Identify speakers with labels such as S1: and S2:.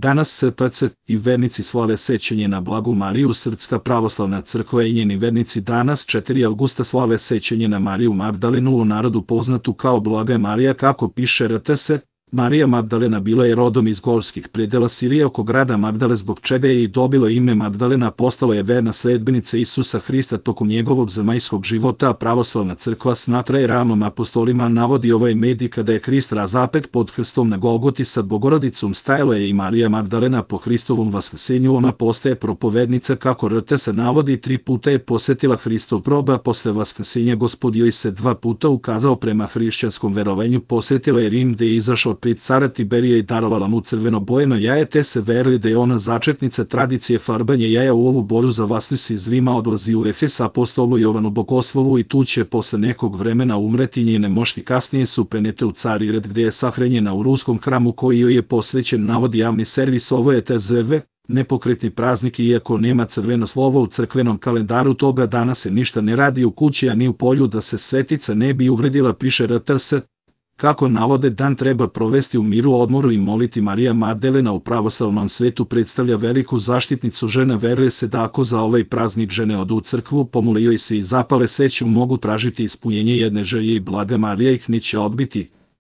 S1: Danas SPC i vernici slave sećanje na Blagu Mariju. Srpska pravoslavna crkva i njeni vernici danas 4. avgusta slave sećanje na Mariju Magdalenu, u narodu poznatu kao Blaga Marija. Kako piše RTS, Marija Magdalena bila je rodom iz gorskih predela Sirije oko grada Magdale, zbog čega je i dobilo ime Magdalena. Postala je verna sledbenica Isusa Hrista tokom njegovog zemaljskog života, a pravoslavna crkva smatra je ravnom apostolima. Navodi ovaj medij kada je Hrist razapet pod krstom na Golgoti sa Bogorodicom, stajala je i Marija Magdalena. Po Hristovom vaskrsenju ona postaje propovednica. Kako RTS navodi, 3 puta je posetila Hristov grob, a posle vaskrsenja Gospod joj se 2 puta ukazao. Prema hrišćanskom verovanju posetila je Rim, gde je izašao pred cara Tiberija i darovala mu crveno-bojeno jaje, te se veruje da je ona začetnica tradicije farbanja jaja. U ovu boju za Vaskrs iz Rima odlazi u Efes apostolu Jovanu Bogoslovu i tu će posle nekog vremena umreti. Njene mošti kasnije su prenete u Carigrad, gde je sahranjena u ruskom hramu koji joj je posvećen, navodi javni servis. Ovo je TZV, nepokretni praznik, iako nema crveno slovo u crkvenom kalendaru, toga dana se ništa ne radi u kući, a ni u polju, da se svetica ne bi uvredila, piše RTS. Kako navode, dan treba provesti u miru, odmoru i moliti. Marija Magdalena u pravoslavnom svetu predstavlja veliku zaštitnicu žena. Veruje se da ako za ovaj praznik žene odu u crkvu, pomole joj se i zapale sveću, mogu tražiti ispunjenje jedne želje i Blaga Marija ih neće odbiti.